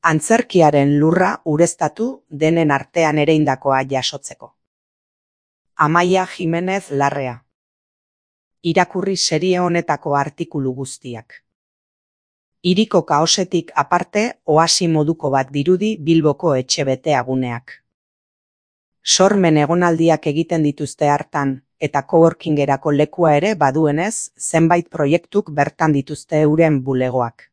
Antzerkiaren lurra ureztatu denen artean ereindakoa jasotzeko. Amaia Jimenez Larrea. Irakurri serie honetako artikulu guztiak. Hiriko kaosetik aparte oasi moduko bat dirudi Bilboko etxe beteaguneak. Sormen egonaldiak egiten dituzte hartan, eta coworkingerako lekua ere baduenez, zenbait proiektuk bertan dituzte euren bulegoak.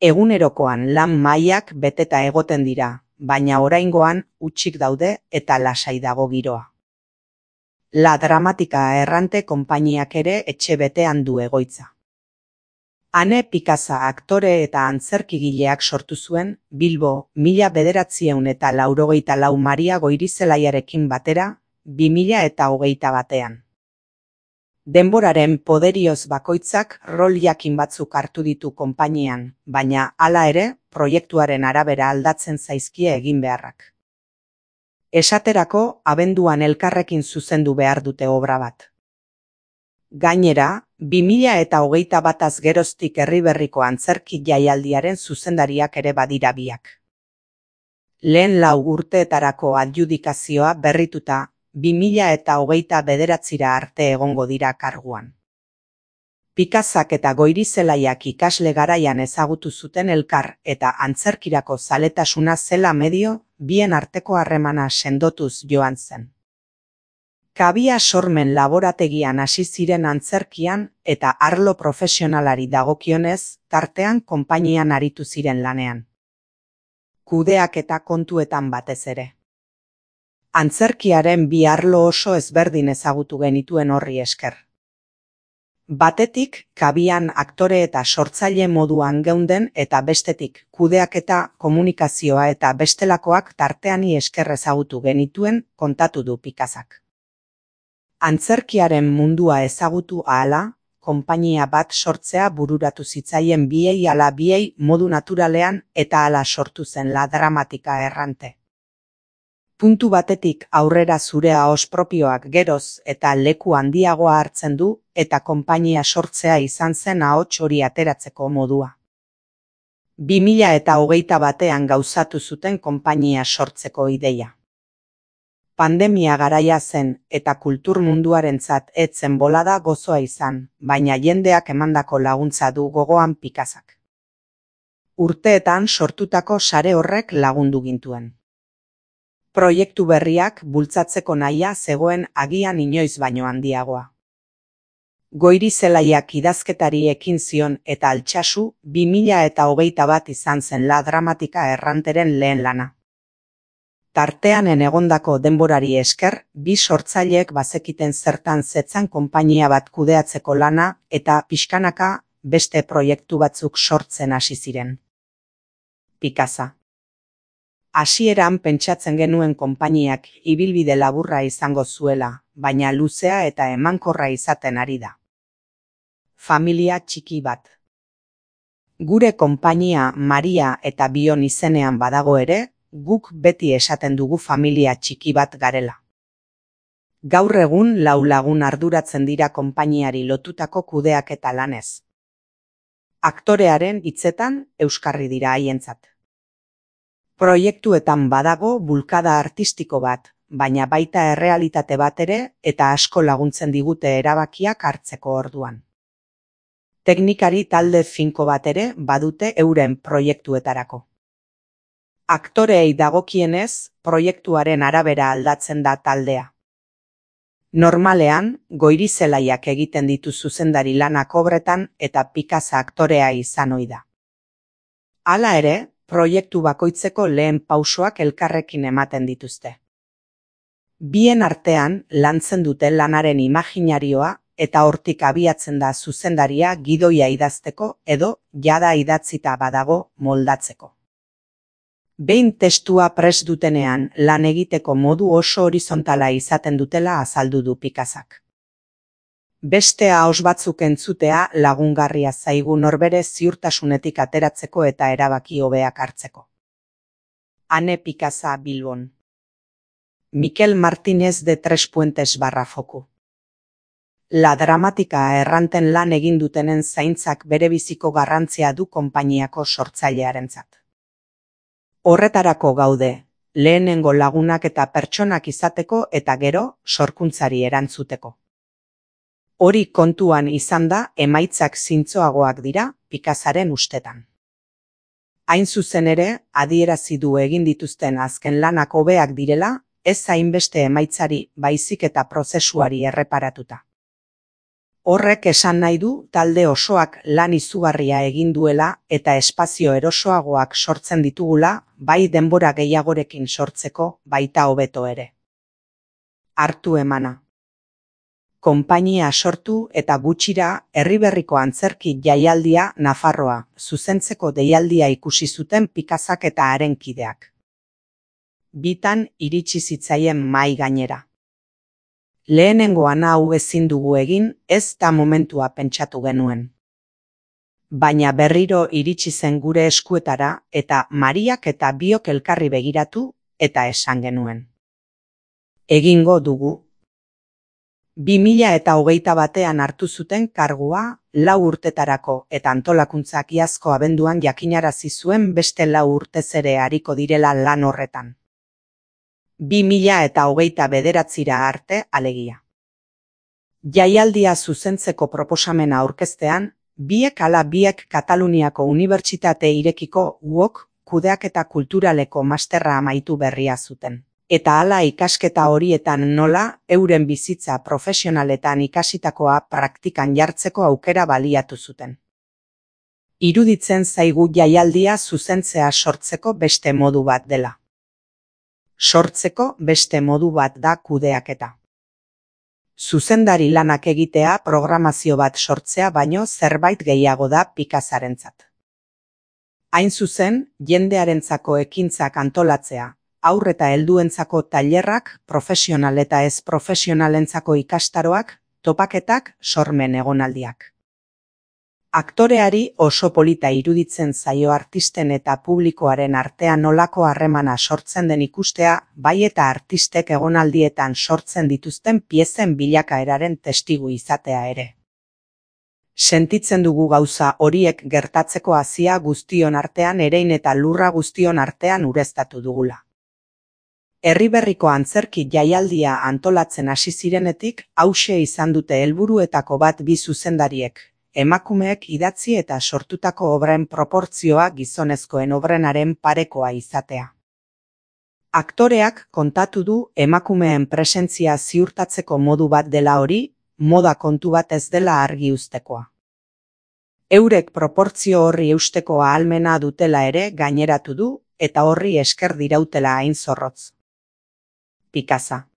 Egunerokoan lan mailak beteta egoten dira, baina oraingoan hutsik daude eta lasai dago giroa. La Dramatika errante konpainiak ere etxe betean du egoitza. Ane Pikasa aktore eta antzerkigileak sortu zuen Bilbo 1984 Maria Goirizelaiarekin batera 2021. Denboraren poderioz bakoitzak rol jakin batzuk hartu ditu konpainian, baina hala ere proiektuaren arabera aldatzen zaizkie egin beharrak. Esaterako abenduan elkarrekin zuzendu behar dute obra bat. Gainera, 2021 geroztik Herriberriko antzerki jaialdiaren zuzendariak ere badira biak. Lehen 4 urteetarako adjudikazioa berrituta 2029 arte egongo dira karguan. Pikazak eta Goirizelaiak ikasle garaian ezagutu zuten elkar eta antzerkirako zaletasuna zela medio bien arteko harremana sendotuz joan zen. Kabia Sormen laborategian hasi ziren antzerkian eta arlo profesionalari dagokionez, tartean konpainian aritu ziren lanean. Kudeak eta kontuetan batez ere. Antzerkiaren bi arlo oso ezberdin ezagutu genituen horri esker. Batetik, kabian aktore eta sortzaile moduan geunden eta bestetik, kudeak eta komunikazioa eta bestelakoak tarteani esker ezagutu genituen kontatu du Pikazak. Antzerkiaren mundua ezagutu ahala, konpainia bat sortzea bururatu zitzaien biei ala biei modu naturalean eta hala sortu zen La Dramatika errante. Puntu batetik aurrera zure ahos propioak geroz eta leku handiagoa hartzen du eta konpainia sortzea izan zen ahots hori ateratzeko modua. 2021 gauzatu zuten konpainia sortzeko ideia. Pandemia garaia zen eta kultur munduarentzat ez zen bolada gozoa izan, baina jendeak emandako laguntza du gogoan Pikazak. Urteetan sortutako sare horrek lagundu gintuen. Proiektu berriak bultzatzeko nahia zegoen agian inoiz baino handiagoa. Goirizelaiak idazketari ekin zion eta Altsasu 2021 izan zen La Dramatika erranteren lehen lana. Tarteanen egondako denborari esker, bi sortzaileek bazekiten zertan zetzan konpainia bat kudeatzeko lana eta pixkanaka beste proiektu batzuk sortzen hasi ziren. Pikaza. Hasieran pentsatzen genuen konpainiak ibilbide laburra izango zuela, baina luzea eta emankorra izaten ari da. Familia txiki bat. Gure konpainia Maria eta Bion izenean badago ere, guk beti esaten dugu familia txiki bat garela. Gaur egun 4 lagun arduratzen dira konpainiari lotutako kudeak eta lanez. Aktorearen hitzetan euskarri dira haientzat. Proiektuetan badago bulkada artistiko bat, baina baita errealitate bat ere eta asko laguntzen digute erabakiak hartzeko orduan. Teknikari talde finko bat ere badute euren proiektuetarako. Aktoreei dagokienez, proiektuaren arabera aldatzen da taldea. Normalean, Goirizelaiak egiten ditu zuzendari lanak obretan eta Pikaza aktorea izan ohi da. Hala ere, proiektu bakoitzeko lehen pausoak elkarrekin ematen dituzte. Bien artean lantzen dute lanaren imaginarioa eta hortik abiatzen da zuzendaria gidoia idazteko edo jada idatzita badago moldatzeko. Behin testua prest dutenean lan egiteko modu oso horizontala izaten dutela azaldu du Pikazak. Beste ahos batzuk entzutea lagungarria zaigu norbere ziurtasunetik ateratzeko eta erabaki hobeak hartzeko. Ane Pikaza Bilbon. Mikel Martínez de Tres Puentes /foku. La Dramatika erranten lan egin dutenen zaintzak berebiziko garrantzia du konpainiako sortzailearentzat. Horretarako gaude, lehenengo lagunak eta pertsonak izateko eta gero sorkuntzari erantzuteko. Hori kontuan izanda emaitzak zintzoagoak dira Picassaren ustetan. Hain zuzen ere, adierazi du egin dituzten azken lanak hobeak direla, ez hainbeste emaitzari baizik eta prozesuari erreparatuta. Horrek esan nahi du talde osoak lan izugarria egin duela eta espazio erosoagoak sortzen ditugula, bai denbora gehiagorekin sortzeko, baita hobeto ere. Hartu emana. Konpainia sortu eta gutxira Herriberriko antzerki jaialdia Nafarroa zuzentzeko deialdia ikusi zuten Picassak eta haren kideak. Bitan iritsi zitzaien mahai gainera. Lehenengoan hau ezin dugu egin, ez da momentua pentsatu genuen. Baina berriro iritsi zen gure eskuetara eta Mariak eta biok elkarri begiratu eta esan genuen. Egingo dugu. 2021 hartu zuten kargua 4 urtetarako eta antolakuntzak iazko abenduan jakinarazi zuen beste 4 urtez ere ariko direla lan horretan. 2029 arte alegia. Jaialdia zuzentzeko proposamena aurkeztean, biek Kataluniako Unibertsitate Irekiko UOK kudeaketa kulturaleko masterra amaitu berria zuten. Eta hala ikasketa horietan nola euren bizitza profesionaletan ikasitakoa praktikan jartzeko aukera baliatu zuten. Iruditzen zaigu jaialdia zuzentzea sortzeko beste modu bat dela. Sortzeko beste modu bat da kudeaketa. Zuzendari lanak egitea programazio bat sortzea baino zerbait gehiago da Picassarentzat. Hain zuzen, jendearentzako ekintzak antolatzea, haur eta helduentzako tailerrak, profesional eta ez profesionalentzako ikastaroak, topaketak, sormen egonaldiak. Aktoreari oso polita iruditzen zaio artisten eta publikoaren artean nolako harremana sortzen den ikustea, bai eta artistek egonaldietan sortzen dituzten piezen bilakaeraren testigu izatea ere. Sentitzen dugu gauza horiek gertatzeko hazia guztion artean erein eta lurra guztion artean ureztatu dugula. Herriberriko antzerki jaialdia antolatzen hasi zirenetik, hauxe izan dute helburuetako bat bi zuzendariek, emakumeek idatzi eta sortutako obren proportzioa gizonezkoen obrenaren parekoa izatea. Aktoreak kontatu du emakumeen presentzia ziurtatzeko modu bat dela hori, moda kontu bat ez dela argi uztekoa. Eurek proportzio horri eusteko ahalmena dutela ere gaineratu du eta horri esker dirautela hain zorrotz. Picassa.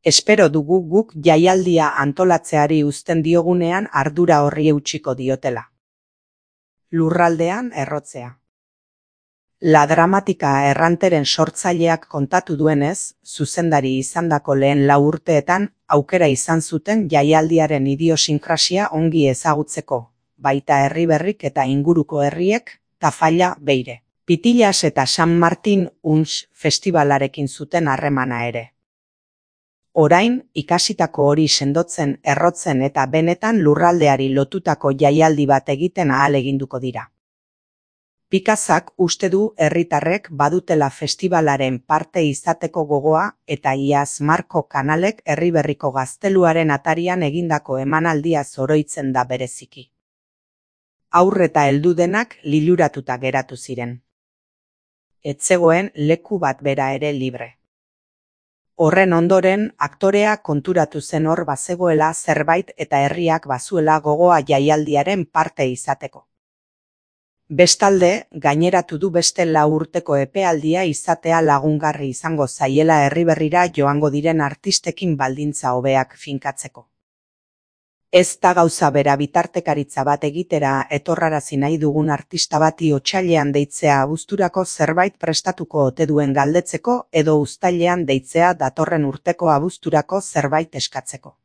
Espero dugu guk jaialdia antolatzeari uzten diogunean ardura horri eutsiko diotela. Lurraldean errotzea. La Dramatika erranteren sortzaileak kontatu duenez, zuzendari izandako lehen 4 urteetan aukera izan zuten jaialdiaren idiosinkrasia ongi ezagutzeko, baita Herriberrik eta inguruko herriek, Tafalla, Beire, Pitillas eta San Martin Unx festivalarekin zuten harremana ere. Orain, ikasitako hori sendotzen, errotzen eta benetan lurraldeari lotutako jaialdi bat egiten ahaleginduko dira. Picassak uste du herritarrek badutela festibalaren parte izateko gogoa eta iaz Marko Kanalek Herriberriko gazteluaren atarian egindako emanaldia zoroitzen da bereziki. Haur eta heldu denak liluratuta geratu ziren. Ez zegoen leku bat bera ere libre. Horren ondoren, aktorea konturatu zen hor bazegoela zerbait eta herriak bazuela gogoa jaialdiaren parte izateko. Bestalde, gaineratu du beste 4 urteko epealdia izatea lagungarri izango zaiela Herriberrira joango diren artistekin baldintza hobeak finkatzeko. Ez da gauza bera bitartekaritza bat egitera etorrarazi nahi dugun artista bati otsailean deitzea abuzturako zerbait prestatuko ote duen galdetzeko edo uztailean deitzea datorren urteko abuzturako zerbait eskatzeko.